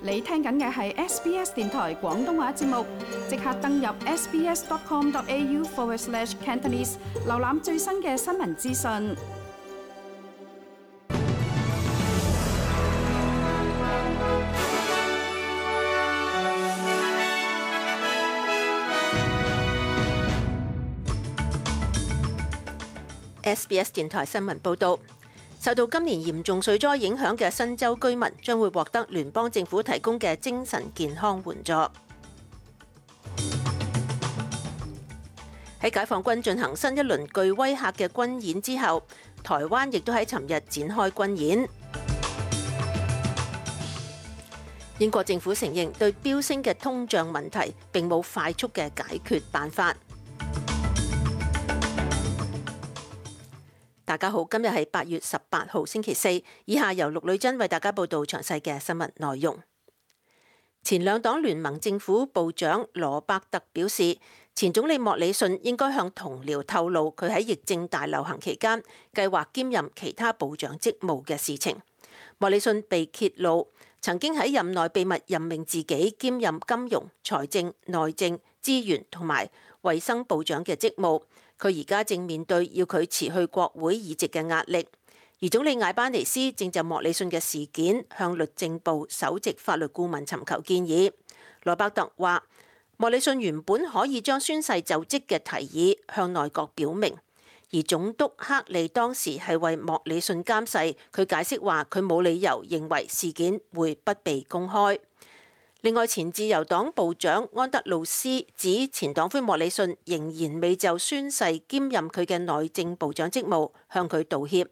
你聽緊嘅係 SBS 電台廣東話節目，即刻登入 sbs.com.au/Cantonese 瀏覽最新嘅新聞資訊。SBS 電台新聞報導。受到今年嚴重水災影響嘅新州居民將會獲得聯邦政府提供嘅精神健康援助。喺解放軍進行新一輪具威嚇嘅軍演之後，台灣亦都喺尋日展開軍演。英國政府承認對飆升嘅通脹問題並冇快速嘅解決辦法。大家好，今日係8月18號星期四，以下由陸女珍為大家報道詳細嘅新聞內容。前兩黨聯盟政府部長羅伯特表示，前總理莫里遜應該向同僚透露佢喺疫症大流行期間計劃兼任其他部長職務嘅事情。莫里遜被揭露曾經喺任內秘密任命自己兼任金融、財政、內政、資源同埋衛生部長嘅職務。佢而家正面對要佢辭去國會議席嘅壓力，而總理艾班尼斯正就莫里遜嘅事件向律政部首席法律顧問尋求建議。羅伯特話，莫里遜原本可以將宣誓就職嘅提議向內閣表明，而總督克利當時係為莫里遜監誓，佢解釋話佢冇理由認為事件會不被公開。另外，前自由黨部長安德魯斯指前黨魁莫里遜仍然未就宣誓兼任佢嘅內政部長職務向佢道歉。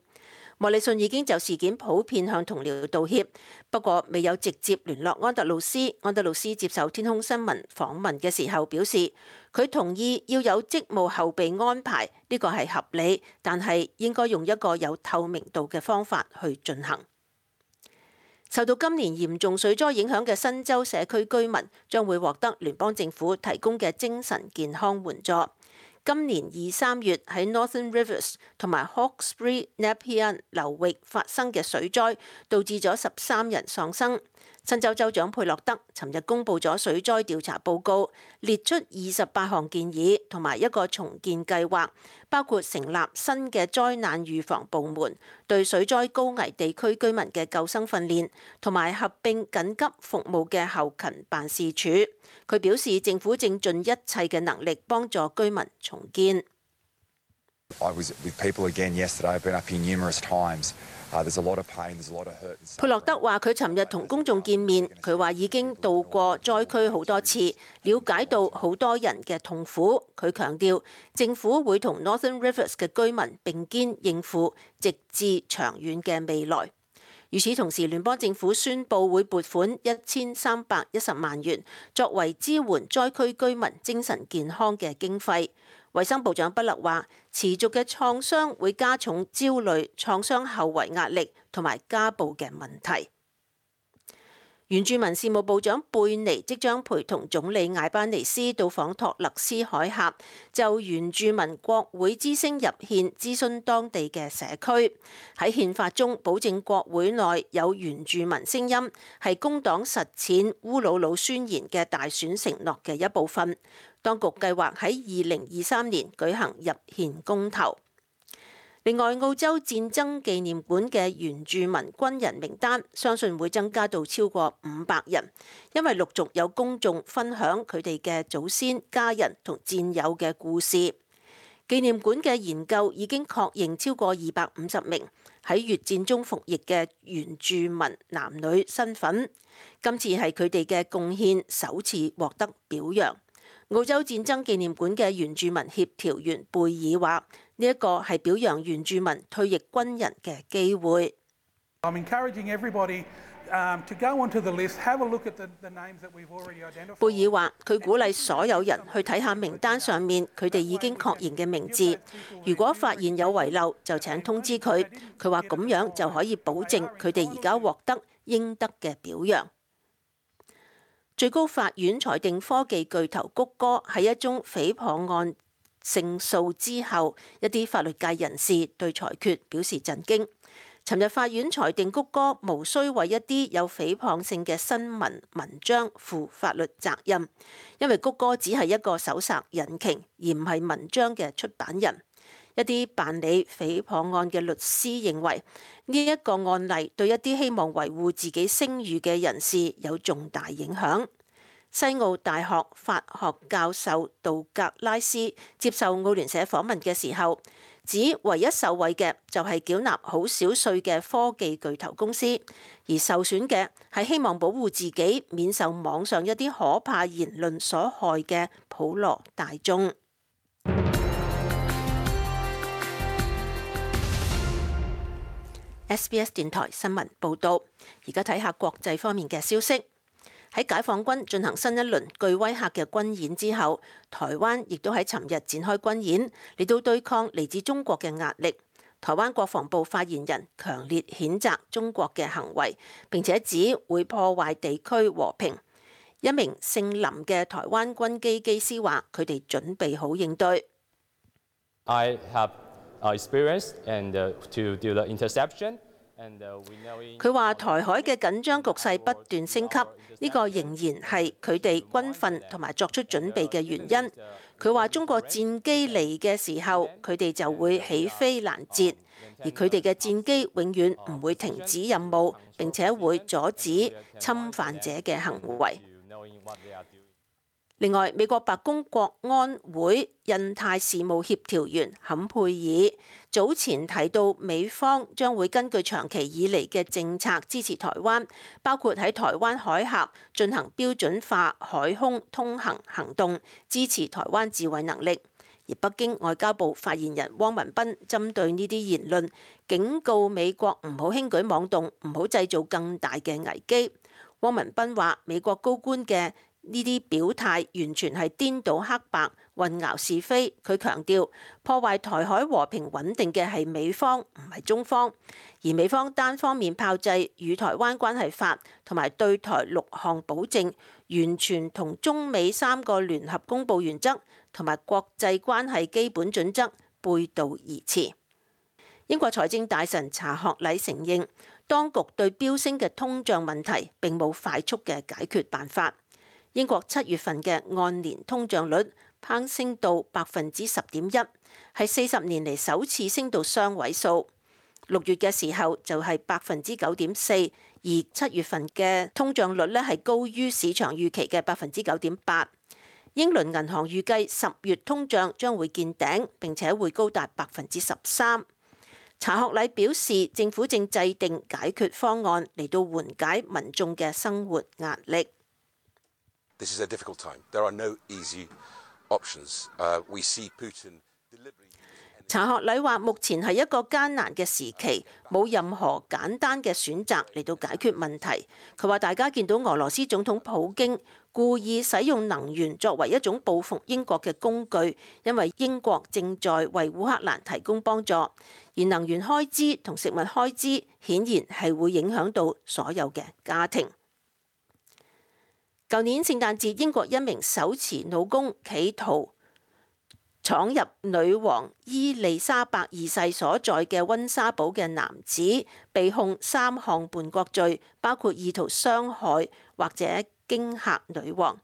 莫里遜已經就事件普遍向同僚道歉，不過未有直接聯絡安德魯斯。安德魯斯接受天空新聞訪問嘅時候表示，佢同意要有職務後備安排，呢個係合理，但係應該用一個有透明度嘅方法去進行。受到今年嚴重水災影響嘅新州社區居民將會獲得聯邦政府提供嘅精神健康援助。今年2、3月喺 Northern Rivers 同埋 Hawkesbury Nepean 流域發生嘅水災，導致咗13人喪生。新州州長佩洛德尋日公布咗水災調查報告，列出28項建議同埋一個重建計劃，包括成立新嘅災難預防部門、對水災高危地區居民嘅救生訓練，同埋合併緊急服務嘅後勤辦事處。佢表示政府正盡一切嘅能力幫助居民重建。佩洛德話：佢尋日同公眾見面，佢話已經到過災區好多次，了解到好多人嘅痛苦。佢強調政府會同 Northern Rivers 嘅居民並肩應付，直至長遠嘅未來。與此同時，聯邦政府宣布會撥款1310萬元作為支援災區居民精神健康嘅經費。衛生部長畢勒話，持續嘅創傷會加重焦慮、創傷後遺壓力同埋家暴嘅問題。原住民事務部長貝尼即將陪同總理艾班尼斯到訪托勒斯海峽，就原住民國會之聲入憲諮詢當地嘅社區。喺憲法中保證國會內有原住民聲音，係工黨實踐烏魯魯宣言嘅大選承諾嘅一部分。當局計劃喺2023年舉行入憲公投。另外，澳洲戰爭紀念館嘅原住民軍人名單相信會增加到超過500人，因為陸續有公眾分享佢哋嘅祖先、家人同戰友嘅故事。紀念館嘅研究已經確認超過250名喺越戰中服役嘅原住民男女身份。今次係佢哋嘅貢獻首次獲得表揚。澳洲戰爭紀念館嘅原住民協調員貝爾話：呢一個係表揚原住民退役軍人嘅機會。貝爾話：佢鼓勵所有人去睇下名單上面佢哋已經確認嘅名字，如果發現有遺漏，就請通知佢。佢話咁樣就可以保證佢哋而家獲得應得嘅表揚。最高法院裁定科技巨頭谷歌喺一宗誹謗案勝訴之後，一啲法律界人士對裁決表示震驚。尋日法院裁定谷歌無需為一啲有誹謗性嘅新聞文章負法律責任，因為谷歌只係一個搜尋引擎，而唔係文章嘅出版人。一啲辦理誹謗案嘅律師認為，呢一個案例對一啲希望維護自己聲譽嘅人士有重大影響。西澳大學法學教授杜格拉斯接受澳聯社訪問嘅時候，指唯一受惠嘅就係繳納好少稅嘅科技巨頭公司，而受損嘅係希望保護自己免受網上一啲可怕言論所害嘅普羅大眾。SBS 電台新聞報導，而家睇下國際方面嘅消息。喺解放軍進行新一輪具威嚇嘅軍演之後，台灣亦都喺尋日展開軍演，嚟到對抗嚟自中國嘅壓力。台灣國防部發言人強烈譴責中國嘅行為，並且指會破壞地區和平。一名姓林嘅台灣軍機機師話：佢哋準備好應對。I have experienced and to do the interception. 佢話台海嘅緊張局勢不斷升級，呢個仍然係佢哋軍訓同埋作出準備嘅原因。佢話中國戰機嚟嘅時候，佢哋就會起飛攔截，而佢哋嘅戰機永遠唔會停止任務，並且會阻止侵犯者嘅行為。另外，美國白宮國安會印太事務協調員坎佩爾早前提到，美方將會根據長期以嚟嘅政策支持台灣，包括喺台灣海峽進行標準化海空通行行動，支持台灣自衛能力。而北京外交部發言人汪文斌針對呢啲言論，警告美國唔好輕舉妄動，唔好製造更大嘅危機。汪文斌話：美國高官嘅呢啲表態完全係顛倒黑白、混淆是非。佢強調，破壞台海和平穩定嘅係美方，唔係中方。而美方單方面炮製與台灣關係法同埋對台6項保證，完全同中美3個聯合公佈原則同埋國際關係基本準則背道而馳。英國財政大臣查學禮承認，當局對飆升嘅通脹問題並冇快速嘅解決辦法。英國7月份嘅按年通脹率攀升到10.1%，係40年嚟首次升到雙位數。6月嘅時候就係9.4%，而7月份嘅通脹率咧係高於市場預期嘅9.8%。英倫銀行預計10月通脹將會見頂，並且會高達13%。查學禮表示，政府正制定解決方案嚟到緩解民眾嘅生活壓力。This is a difficult time. There are no easy options. We see Putin deliberately. 查學禮話：目前係一個艱難嘅時期，冇任何簡單嘅選擇嚟到解決問題。佢話：大家見到俄羅斯總統普京故意使用能源作為一種報復英國嘅工具，因為英國正在為烏克蘭提供幫助，而能源開支同食物開支顯然係會影響到所有嘅家庭。舊年聖誕節，英國一名手持弩弓企圖闖入女王伊麗莎白二世所在嘅溫莎堡嘅男子，被控3項叛國罪，包括意圖傷害或者驚嚇女王。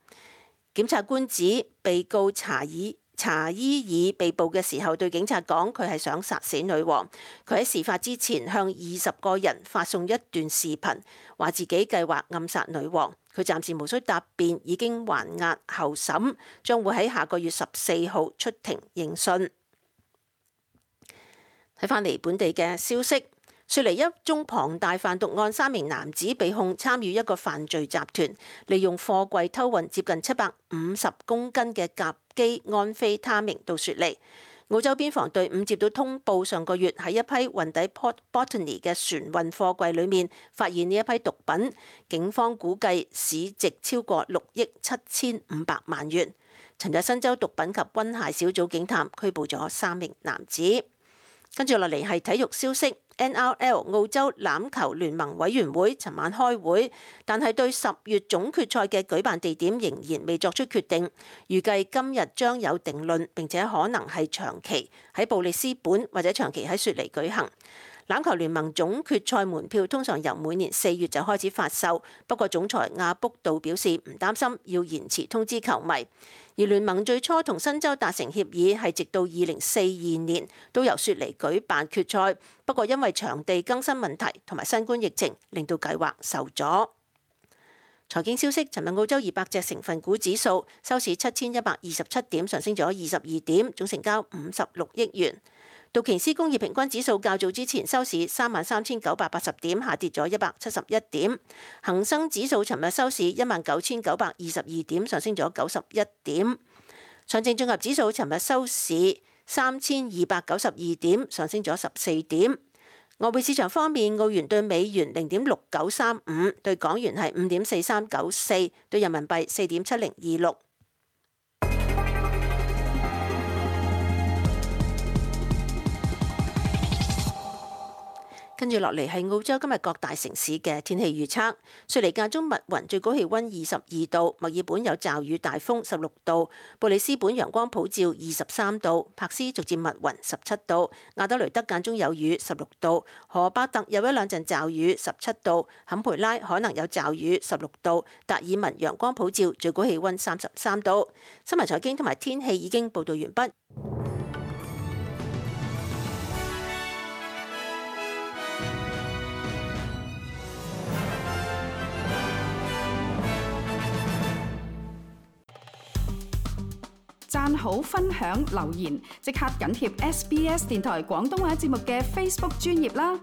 檢察官指被告查伊爾被捕嘅時候對警察講，佢係想殺死女王。佢喺事發之前向20個人發送一段視頻，話自己計劃暗殺女王。佢暫時無需答辯，已經還押候審，將會喺下個月14號出庭應訊。睇返嚟本地嘅消息，雪梨一宗龐大販毒案，3名男子被控參與一個犯罪集團，利用貨櫃偷運接近750公斤嘅甲基安非他命到雪梨。澳洲邊防隊伍接到通報，上個月喺一批運抵 Port Botany 嘅船運貨櫃裏面發現呢一批毒品，警方估計市值超過6億7500萬元。尋日新州毒品及軍械小組警探拘捕咗3名男子。跟住落嚟係體育消息。NRL 澳洲欖球聯盟委員會尋晚開會，但係對10月總決賽嘅舉辦地點仍然未作出決定，預計今日將有定論，並且可能係長期喺布里斯本或者長期喺雪梨舉行。欖球聯盟總決賽門票通常由每年4月就開始發售，不過總裁亞卜杜表示唔擔心要延遲通知球迷。而聯盟最初同新州達成協議係直到2042年都由雪梨舉辦決賽，不過因為場地更新問題同埋新冠疫情，令到計劃受阻。財經消息，尋日澳洲200隻成分股指數收市7127點，上升咗22點，總成交56億元。道瓊斯工業平均指數較早之前收市33980點，下跌咗171點。恒生指數尋日收市19922點，上升咗91點。上證綜合指數尋日收市3292點，上升咗14點。外匯市場方面，澳元對美元0.6935，對港元係5.4394，對人民幣4.7026。跟住落嚟係澳洲今日各大城市嘅天氣預測。雪梨間中密雲，最高氣溫22度；墨爾本有驟雨大風16度；布里斯本陽光普照23度；柏斯逐漸密雲17度；亞德雷德間中有雨16度；荷巴特有一兩陣驟雨17度；坎培拉可能有驟雨16度；達爾文陽光普照，最高氣溫33度。新聞財經同埋天氣已經報道完畢。讚好、分享、留言，即刻緊貼SBS 電台廣東話節目嘅 Facebook 專頁啦！